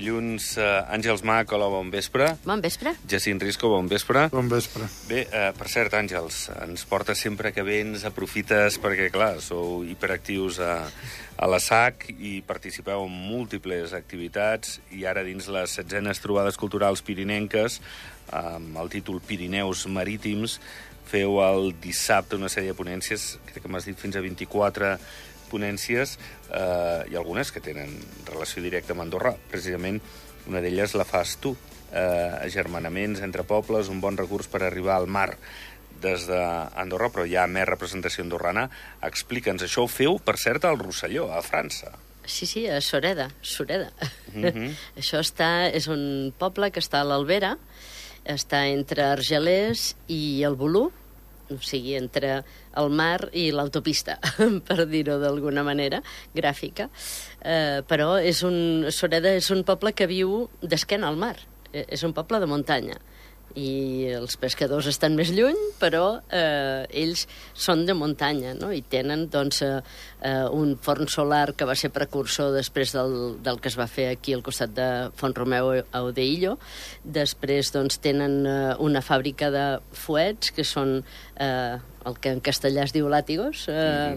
dilluns. Àngels Mac, hola, bon vespre. Bon vespre. Jacint Risco, bon vespre. Bon vespre. Bé, per cert, Àngels, ens porta sempre que vens, aprofites, perquè, clar, sou hiperactius a la SAC i participeu en múltiples activitats, i ara dins les 16enes trobades culturals pirinenques, amb el títol Pirineus Marítims, feu el dissabte una sèrie de ponències, crec que m'has dit fins a 24 ponències, i algunes que tenen relació directa amb Andorra. Precisament una d'elles la fas tu. Agermanaments entre pobles, un bon recurs per arribar al mar des d'Andorra, però hi ha més representació andorrana. Explica'ns, això ho feu, per cert, al Rosselló, a França. Sí, a Sureda. Això és un poble que està a l'Albera, està entre Argelers i el Bolú, o sigui, entre el mar i l'autopista, per dir-ho d'alguna manera, gràfica. Però Sureda és un poble que viu d'esquena al mar. És un poble de muntanya. I els pescadors estan més lluny, però ells són de muntanya, no? I tenen doncs, un forn solar que va ser precursor després del que es va fer aquí al costat de Font-romeu a Odeillo. Després doncs, tenen una fàbrica de fuets, que són el que en castellà es diu làtigos,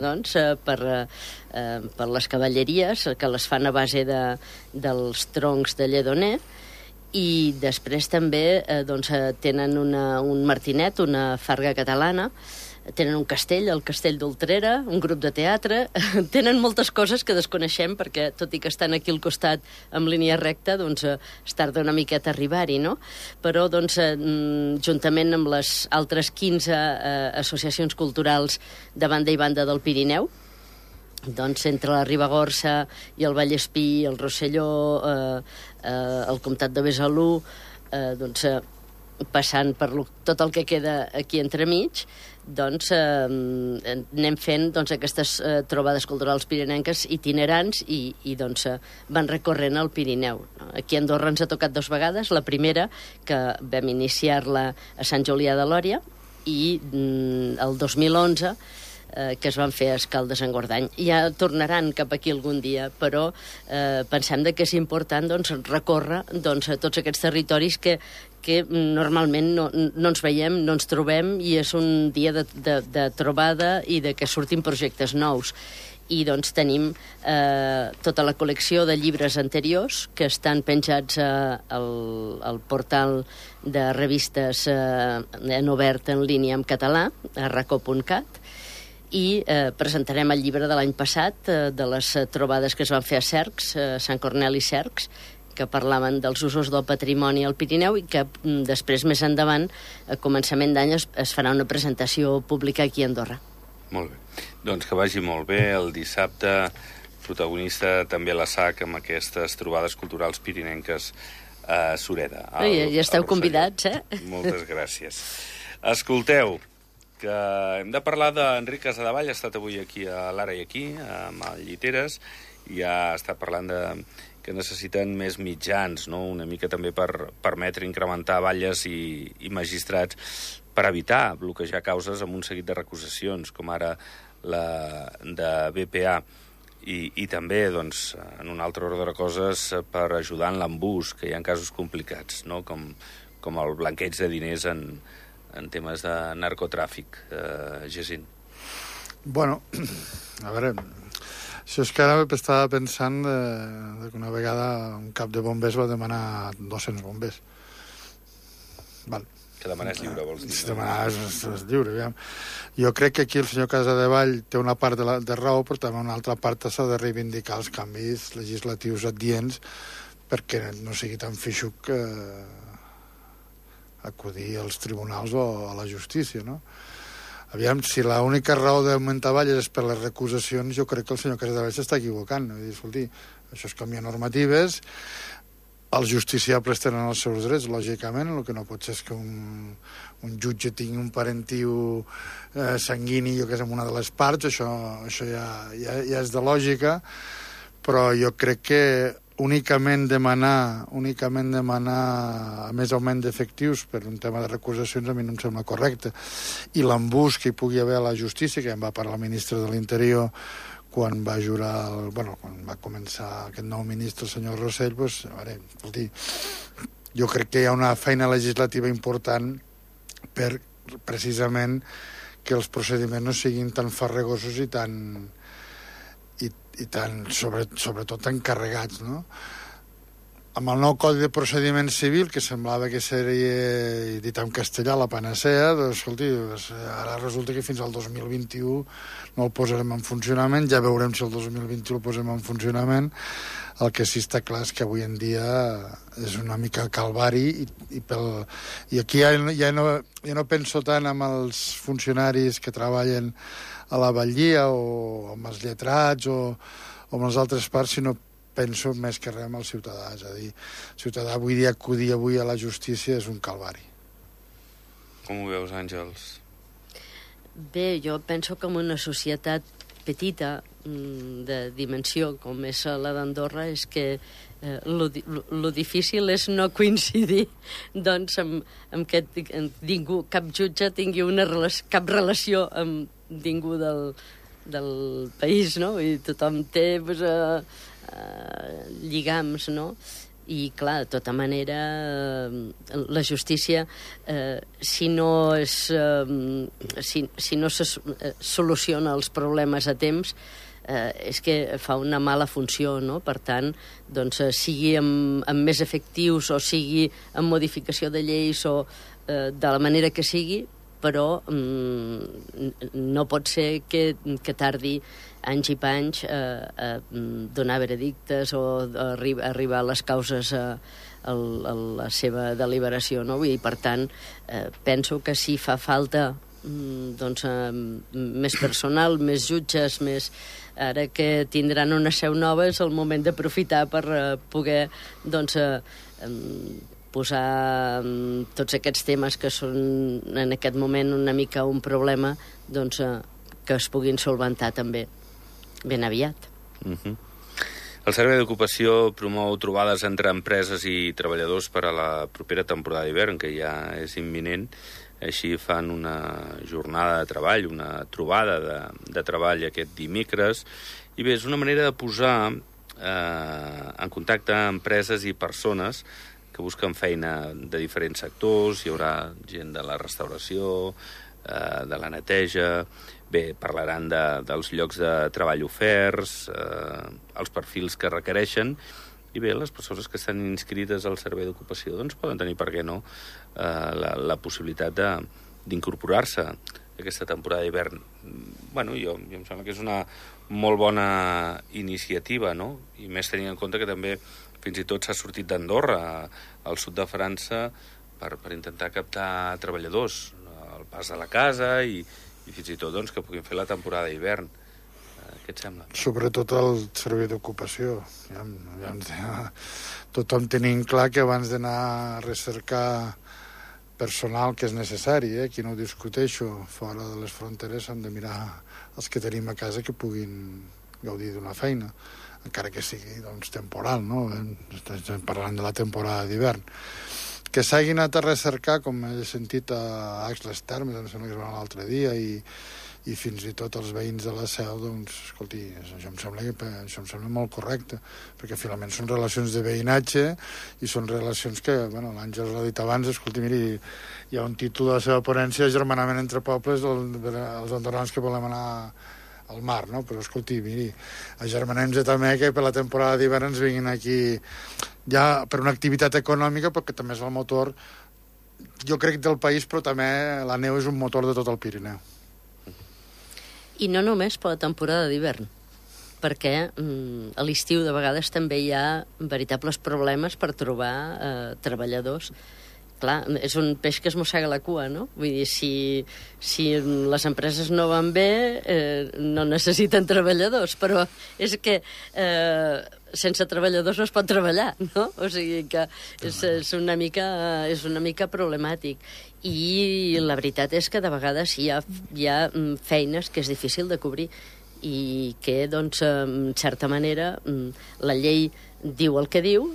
doncs, per les cavalleries, que les fan a base dels troncs de lledoner. I després també tenen un martinet, una farga catalana, tenen un castell, el castell d'Ultrera, un grup de teatre, tenen moltes coses que desconeixem perquè, tot i que estan aquí al costat amb línia recta, doncs es tarda una miqueta a arribar-hi, no? Però, doncs, juntament amb les altres 15 associacions culturals de banda i banda del Pirineu, doncs entre la Ribagorça i el Vallespí, el Rosselló, el comtat de Besalú, doncs, passant per tot el que queda aquí entremig, doncs anem fent aquestes trobades culturals pirinenques itinerants i doncs van recorrent el Pirineu. Aquí a Andorra ens ha tocat 2 vegades, la primera, que vam iniciar-la a Sant Julià de Lòria, i el 2011, que es van fer a Escaldes-Engordany. Ja tornaran cap aquí algun dia, però pensem que és important recórrer tots aquests territoris que normalment no ens veiem, no ens trobem, i és un dia de trobada i de que surtin projectes nous. I doncs tenim tota la col·lecció de llibres anteriors que estan penjats al portal de revistes en obert en línia en català, a racó.cat, i presentarem el llibre de l'any passat, de les trobades que es van fer a Cercs, Sant Corneli i Cercs, que parlaven dels usos del patrimoni al Pirineu, i que després, més endavant, a començament d'any, es farà una presentació pública aquí a Andorra. Molt bé. Doncs que vagi molt bé. El dissabte, protagonista també la SAC amb aquestes trobades culturals pirinenques a Sureda. Ja esteu convidats, Moltes gràcies. Escolteu, que hem de parlar d'Enric Casadevall. Ha estat avui aquí a l'Ara i aquí, amb el Lliteres, i ha estat parlant que necessiten més mitjans, no? Una mica també per permetre incrementar batlles i magistrats per evitar bloquejar causes amb un seguit de recusacions, com ara la de BPA, i també, doncs, en un altre ordre de coses, per ajudar en l'embús, que hi ha casos complicats, no? Com el blanqueig de diners en temes de narcotràfic, Jacint. Bueno, a veure, això és que ara estava pensant que una vegada un cap de bombers va demanar 200 bombers. Val. Que demanar és lliure, vols dir? Demanar és lliure, aviam. Jo crec que aquí el senyor Casadevall té una part de raó, però també una altra part s'ha de reivindicar els canvis legislatius adients perquè no sigui tan feixuc acudir als tribunals o a la justícia, no? Aviam, si l'única raó d'augmentar balles és per les recusacions, jo crec que el senyor Casadevall s'està equivocant. Vull dir, escolti, això és canviar normatives, els justiciables tenen els seus drets, lògicament, el que no pot ser és que un jutge tingui un parentiu sanguini, jo que és en una de les parts, això ja és de lògica, però jo crec que únicament demanar més augment d'efectius per un tema de recusacions a mi no em sembla correcte. I l'embús que hi pugui haver a la justícia, que em va parlar el ministre de l'Interior quan va jurar, quan va començar aquest nou ministre, el senyor Rossell, doncs, a veure, escolti, jo crec que hi ha una feina legislativa important per, precisament, que els procediments no siguin tan farragosos i tan sobretot tan carregats, no? Amb el nou Codi de Procediment Civil, que semblava que seria, dit en castellà, la panacea, doncs, escolti, ara resulta que fins al 2021 no el posarem en funcionament, ja veurem si el 2021 el posem en funcionament. El que sí està clar és que avui en dia és una mica calvari i aquí ja no penso tant en els funcionaris que treballen a la batllia o amb els lletrats o amb les altres parts, sinó penso més que res amb el ciutadà. És a dir, el ciutadà avui dia acudir avui a la justícia és un calvari. Com ho veus, Àngels? Bé, jo penso que en una societat petita, de dimensió, com és la d'Andorra, és que lo difícil és no coincidir doncs, amb que ningú, cap jutge tingui cap relació amb ningú del país, no? I tothom té lligams, no? I, clar, de tota manera, la justícia, si no se soluciona els problemes a temps, és que fa una mala funció, no? Per tant, doncs, sigui amb més efectius o sigui amb modificació de lleis o de la manera que sigui, però no pot ser que tardi anys i panys a donar veredictes o a arribar a les causes a la seva deliberació, no? I, per tant, penso que si fa falta doncs, més personal, més jutges, més... Ara que tindran una seu nova és el moment d'aprofitar per poder doncs, posar tots aquests temes que són en aquest moment una mica un problema, doncs, que es puguin solventar també ben aviat. El Servei d'Ocupació promou trobades entre empreses i treballadors per a la propera temporada d'hivern, que ja és imminent. Així fan una jornada de treball, una trobada de treball aquest dimecres. I bé, és una manera de posar en contacte empreses i persones que busquen feina de diferents sectors. Hi haurà gent de la restauració, de la neteja. Bé, parlaran dels llocs de treball oferts, els perfils que requereixen. I bé, les persones que estan inscrites al Servei d'Ocupació doncs poden tenir, per què no, la possibilitat d'incorporar-se a aquesta temporada d'hivern. Bueno, jo em sembla que és una molt bona iniciativa, no? I més tenint en compte que també fins i tot s'ha sortit d'Andorra, al sud de França, per intentar captar treballadors al pas de la casa i fins i tot doncs, que puguin fer la temporada d'hivern. Què et sembla? Sobretot el servei d'ocupació. Tothom tenim clar que abans d'anar a recercar personal que és necessari, aquí no ho discuteixo, fora de les fronteres hem de mirar els que tenim a casa que puguin gaudir d'una feina, encara que sigui doncs, temporal, no? Estem parlant de la temporada d'hivern. Que s'hagin anat a recercar, com he sentit a Axles Termes, em sembla que es va l'altre dia, i fins i tot els veïns de la Seu, doncs, escolti, això em sembla molt correcte, perquè finalment són relacions de veïnatge i són relacions que, bueno, l'Àngels l'ha dit abans, escolti, miri, hi ha un títol de la seva ponència, Agermanament entre pobles, els andorrans que volem anar al mar, no? Però, escolti, miri, agermanem-se també que per la temporada d'hivern ens vinguin aquí ja per una activitat econòmica, perquè també és el motor, jo crec, del país, però també la neu és un motor de tot el Pirineu. I no només per la temporada d'hivern, perquè a l'estiu de vegades també hi ha veritables problemes per trobar treballadors. Clar, és un peix que es mossega la cua, no? Vull dir, si les empreses no van bé, no necessiten treballadors, però és que sense treballadors no es pot treballar, no? O sigui que és una mica problemàtic. I la veritat és que de vegades hi ha feines que és difícil de cobrir i que, doncs, en certa manera, la llei diu el que diu,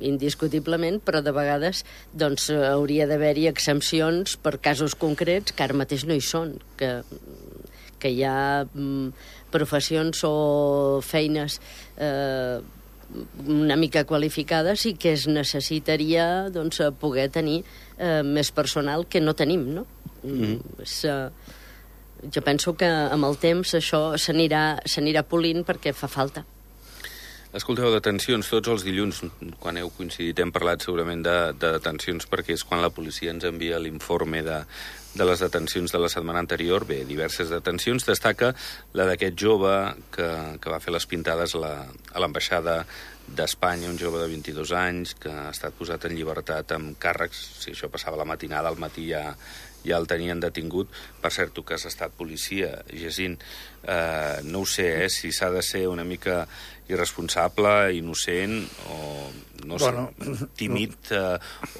indiscutiblement, però de vegades doncs, hauria d'haver-hi exempcions per casos concrets que ara mateix no hi són, que que hi ha professions o feines una mica qualificades i que es necessitaria doncs, poder tenir més personal que no tenim, no? Jo penso que amb el temps això s'anirà polint perquè fa falta. Escolteu, detencions, tots els dilluns, quan heu coincidit, hem parlat segurament de detencions, perquè és quan la policia ens envia l'informe de les detencions de la setmana anterior. Bé, diverses detencions. Destaca la d'aquest jove que va fer les pintades a l'ambaixada d'Espanya, un jove de 22 anys, que ha estat posat en llibertat amb càrrecs. Si això passava a la matinada, al matí ja el tenien detingut. Per cert, tu que has estat policia, Jacint, no ho sé, si s'ha de ser una mica irresponsable, innocent, o no sé, tímid,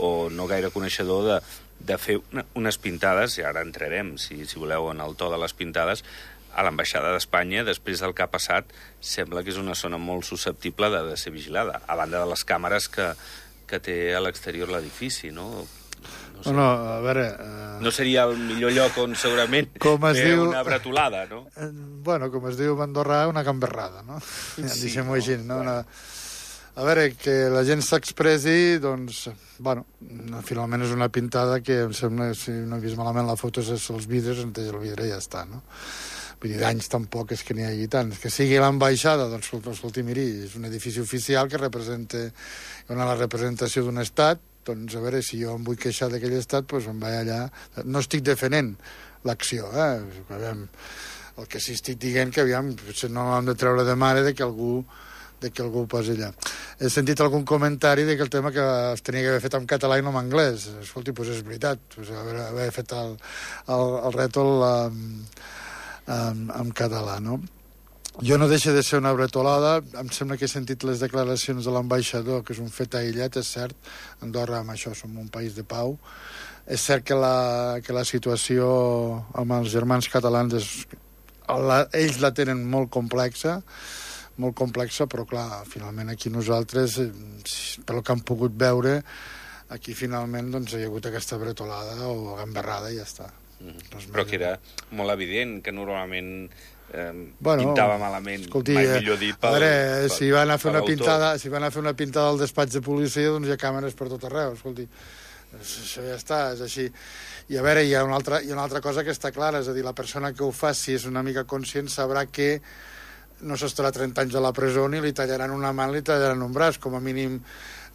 o no gaire coneixedor de fer unes pintades, i ara entrarem, si voleu, en el to de les pintades, a l'ambaixada d'Espanya, després del que ha passat, sembla que és una zona molt susceptible de ser vigilada, a banda de les càmeres que té a l'exterior l'edifici, no? No sé. No, a veure... No seria el millor lloc on segurament fer una bretolada, no? Bueno, com es diu a Andorra, una gamberrada, no? Sí, deixem-ho així, no? A veure, que la gent s'expressi, doncs, bueno, finalment és una pintada que em sembla, si no he vist malament la foto, és els vidres, entonces el vidre ja està, no? Vull dir, d'anys tampoc és que n'hi hagi tants. Que sigui l'ambaixada, doncs, escolti, miri, és un edifici oficial que representa la representació d'un estat, doncs, a veure, si jo em vull queixar d'aquell estat, doncs em vaig allà. No estic defenent l'acció, el que sí estic dient que, aviam, potser no hem de treure de mare de que algú ho posi allà. He sentit algun comentari de que el tema que es tenia que haver fet en català i no en anglès. Escolti, doncs és veritat, haver fet el rètol en català, no? Jo no deixa de ser una bretolada. Em sembla que he sentit les declaracions de l'ambaixador, que és un fet aïllat, és cert. Andorra, amb això, som un país de pau. És cert que la situació amb els germans catalans ells la tenen molt complexa, però clar, finalment aquí nosaltres, pel que hem pogut veure, aquí finalment doncs, hi ha hagut aquesta bretolada o gamberrada i ja està. Però que era molt evident que normalment pintava malament, escolti, mai millor dit, si van a fer una pintada al despatx de policia, doncs hi ha càmeres per tot arreu, escolti, això ja està, és així. I a veure, hi ha una altra cosa que està clara, és a dir, la persona que ho fa, si és una mica conscient, sabrà que no s'estarà 30 anys a la presó ni li tallaran una mà ni li tallaran un braç, com a mínim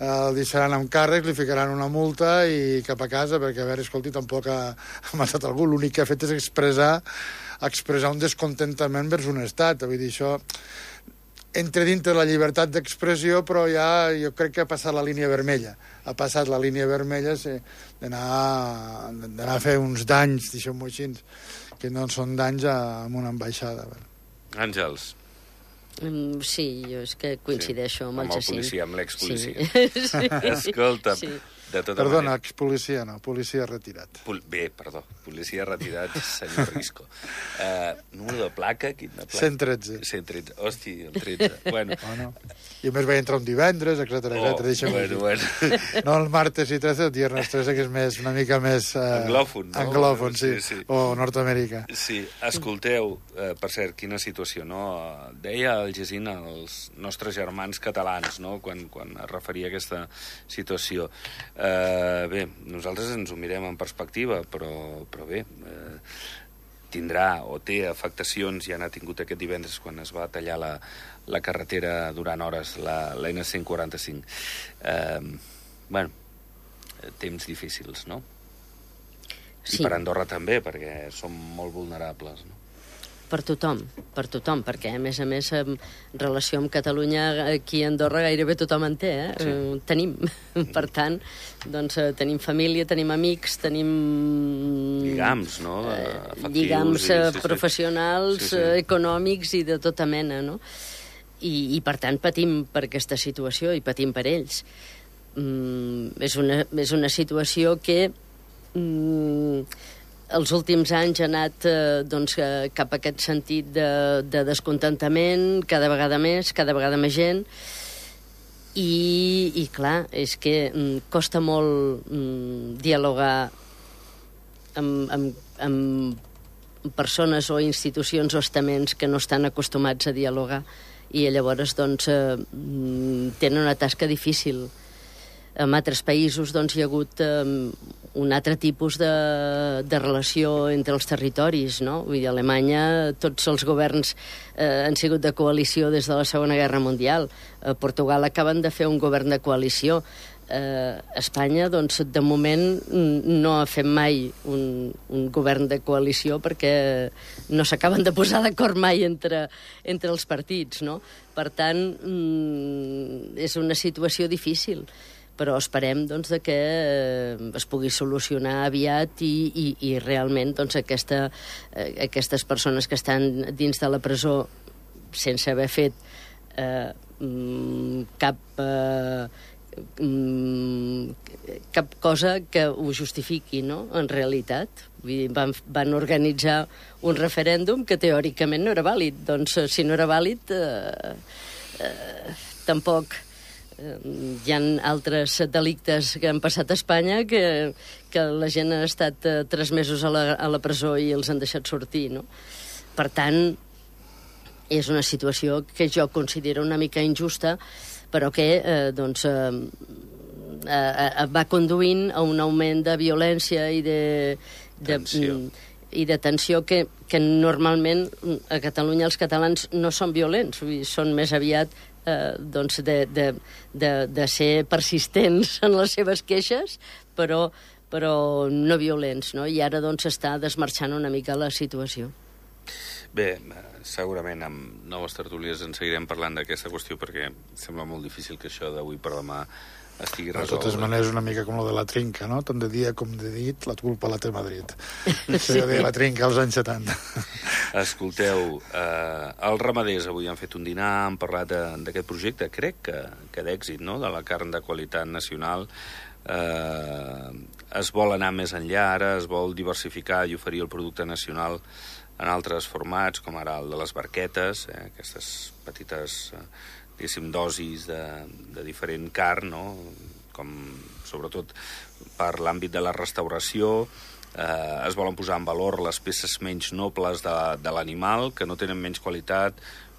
el deixaran amb càrrec, li ficaran una multa i cap a casa, perquè, a veure, escolti, tampoc ha matat algú. L'únic que ha fet és expressar un descontentament vers un estat. Vull dir, això entra dintre la llibertat d'expressió, però ja jo crec que ha passat la línia vermella. Ha passat la línia vermella d'anar a fer uns danys, deixem-ho així, que no són danys en una ambaixada. Àngels. Sí, jo és que coincideixo amb el Jacint. Amb el policia, amb l'expolicia. Sí. Escolta, sí. Perdona, expolicia no, policia retirat. Bé, perdó, policia retirat, senyor Risco. Número de placa? Quina placa? 113. 113, hosti, el 13. Bueno. I a més vaig entrar un divendres, etcètera. Bueno. No el martes i 13, el viernes 13, que és una mica més... anglòfon, no? Anglòfon, sí. O Nord-Amèrica. Sí, escolteu, per cert, quina situació, no? Deia el Jacint als nostres germans catalans, no?, quan es referia a aquesta situació. Bé, nosaltres ens ho mirem en perspectiva, però bé, tindrà o té afectacions, ja n'ha tingut aquest divendres quan es va tallar la carretera durant hores, la N145. Bueno, temps difícils, no? Sí. I per Andorra també, perquè som molt vulnerables, no? Per tothom, perquè a més, en relació amb Catalunya, aquí a Andorra gairebé tothom en té, Sí. Tenim. Per tant, doncs tenim família, tenim amics, tenim... Lligams, no? Lligams professionals, econòmics i de tota mena, no? I per tant patim per aquesta situació i patim per ells. És una situació que... els últims anys ha anat cap a aquest sentit de descontentament, cada vegada més gent, i clar, és que costa molt dialogar amb persones o institucions o estaments que no estan acostumats a dialogar i llavors doncs, tenen una tasca difícil. En altres països doncs, hi ha hagut un altre tipus de relació entre els territoris, no? Vull dir, a Alemanya tots els governs han sigut de coalició des de la Segona Guerra Mundial. A Portugal acaben de fer un govern de coalició. Espanya, doncs, de moment no ha fet mai un govern de coalició perquè no s'acaben de posar d'acord mai entre els partits, no? Per tant, és una situació difícil, però esperem doncs, que es pugui solucionar aviat i realment doncs, aquestes persones que estan dins de la presó sense haver fet cap cosa que ho justifiqui, no?, en realitat. Vull dir, van organitzar un referèndum que teòricament no era vàlid. Doncs si no era vàlid, tampoc hi ha altres delictes que han passat a Espanya que la gent ha estat 3 mesos a la presó i els han deixat sortir, no? Per tant, és una situació que jo considero una mica injusta, però que va conduint a un augment de violència i de tensió que normalment a Catalunya els catalans no són violents, són més aviat de ser persistents en les seves queixes, però no violents, no? I ara doncs està desmarxant una mica la situació. Bé, segurament amb noves tertúlies en seguirem parlant d'aquesta qüestió perquè sembla molt difícil que això d'avui per demà estigui resolt. De totes maneres, una mica com lo de la trinca, no? Tant de dia com de dit, la culpa la té Madrid. Això ja deia la trinca als anys 70. Escolteu, els ramaders avui han fet un dinar, han parlat d'aquest projecte, crec que d'èxit, no?, de la carn de qualitat nacional. Es vol anar més enllà ara, es vol diversificar i oferir el producte nacional en altres formats, com ara el de les barquetes, aquestes petites, diguéssim, dosis de diferent carn, no?, com sobretot per l'àmbit de la restauració. Es volen posar en valor les peces menys nobles de l'animal, que no tenen menys qualitat,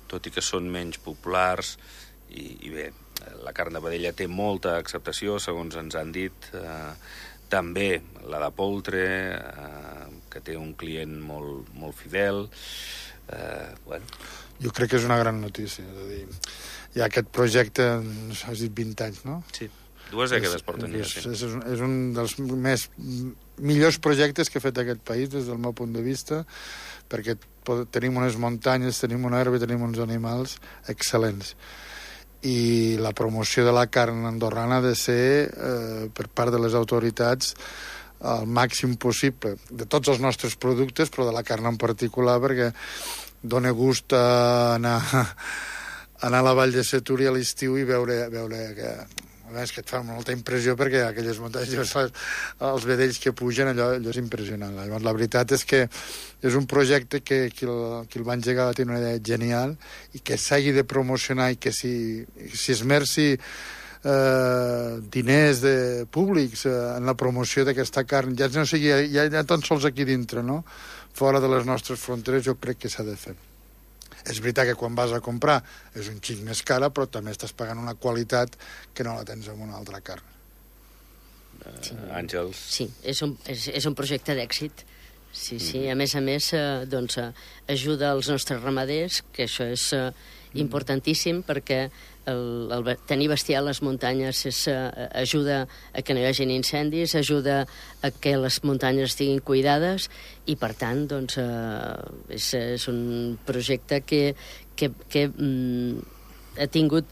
tot i que són menys populars. I bé, la carn de vedella té molta acceptació, segons ens han dit. També la de poltre, que té un client molt fidel. Bueno. Jo crec que és una gran notícia. És a dir, hi ha aquest projecte, has dit 20 anys, no? Sí, 2 dècades porten ja. És un dels millors projectes que ha fet aquest país, des del meu punt de vista, perquè tenim unes muntanyes, tenim una herba i tenim uns animals excel·lents. I la promoció de la carn andorrana ha de ser, per part de les autoritats, el màxim possible, de tots els nostres productes, però de la carn en particular, perquè dona gust anar a la Vall de Setúria a l'estiu i veure que... És que et fa molta impressió perquè aquelles muntanyes, els vedells que pugen, allò és impressionant. Llavors, la veritat és que és un projecte que qui el va engegar té una idea genial i que s'hagi de promocionar i que si esmerci diners públics en la promoció d'aquesta carn, ja no sigui ja tan sols aquí dintre, no?, fora de les nostres fronteres, jo crec que s'ha de fer. És veritat que quan vas a comprar és un xic més cara, però també estàs pagant una qualitat que no la tens amb una altra carn. Àngels? Sí, és un projecte d'èxit. Sí, a més, doncs, ajuda els nostres ramaders, que això és importantíssim, perquè tenir bestiar a les muntanyes ajuda a que no hi hagin incendis, ajuda a que les muntanyes estiguin cuidades i, per tant, doncs, és un projecte que ha tingut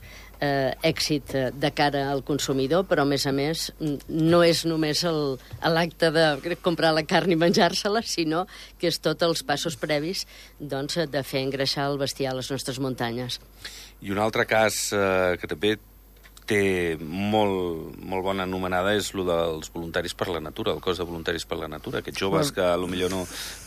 èxit de cara al consumidor, però, a més, no és només l'acte de comprar la carn i menjar-se-la, sinó que és tots els passos previs, doncs, de fer engreixar el bestiar a les nostres muntanyes. I un altre cas que també té molt bona anomenada és el dels voluntaris per la natura, el cos de voluntaris per la natura. Aquests joves que potser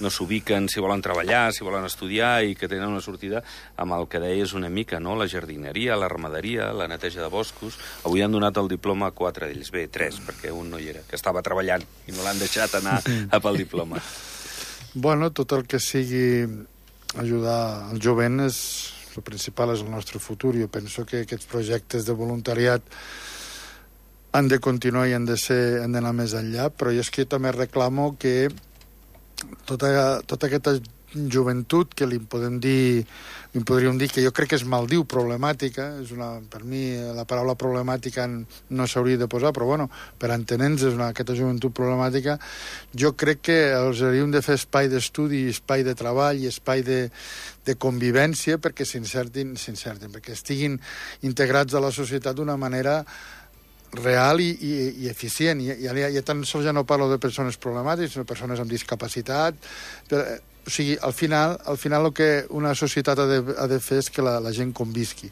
no s'ubiquen si volen treballar, si volen estudiar i que tenen una sortida amb el que deies una mica, no?, la jardineria, la ramaderia, la neteja de boscos. Avui han donat el diploma a 4 d'ells. Bé, 3, perquè un no hi era, que estava treballant i no l'han deixat anar pel diploma. Bueno, tot el que sigui ajudar el jovent és el principal, és el nostre futur. Jo penso que aquests projectes de voluntariat han de continuar i han d'anar més enllà, però jo és que també reclamo que tota aquesta joventut que li podríem dir que jo crec que es maldiu problemàtica, per mi la paraula problemàtica no s'hauria de posar, però bueno, per entenents és aquesta joventut problemàtica. Jo crec que els hauríem de fer espai d'estudi, espai de treball i espai de convivència perquè s'insertin, perquè estiguin integrats a la societat d'una manera real i eficient. Ja tan sols ja no parlo de persones problemàtiques, sinó de persones amb discapacitat. O sigui, al final el que una societat ha de fer és que la gent convisqui.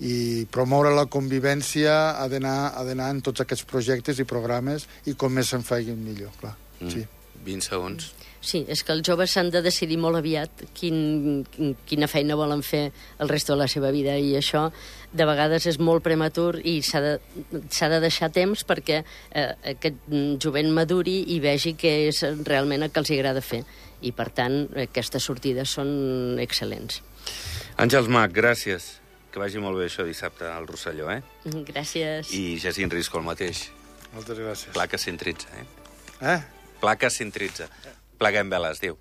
I promoure la convivència ha d'anar en tots aquests projectes i programes i com més se'n facin millor, clar. Sí. 20 segons. Sí, és que els joves s'han de decidir molt aviat quina feina volen fer el resto de la seva vida, i això de vegades és molt prematur i s'ha de deixar temps perquè aquest jovent maduri i vegi què és realment el que els agrada fer. I, per tant, aquestes sortides són excel·lents. Àngels Mac, gràcies. Que vagi molt bé això dissabte al Rosselló, eh? Gràcies. I Jacint Risco, el mateix. Moltes gràcies. Placa 113, Eh? Placa 113. Pleguem veles, adéu.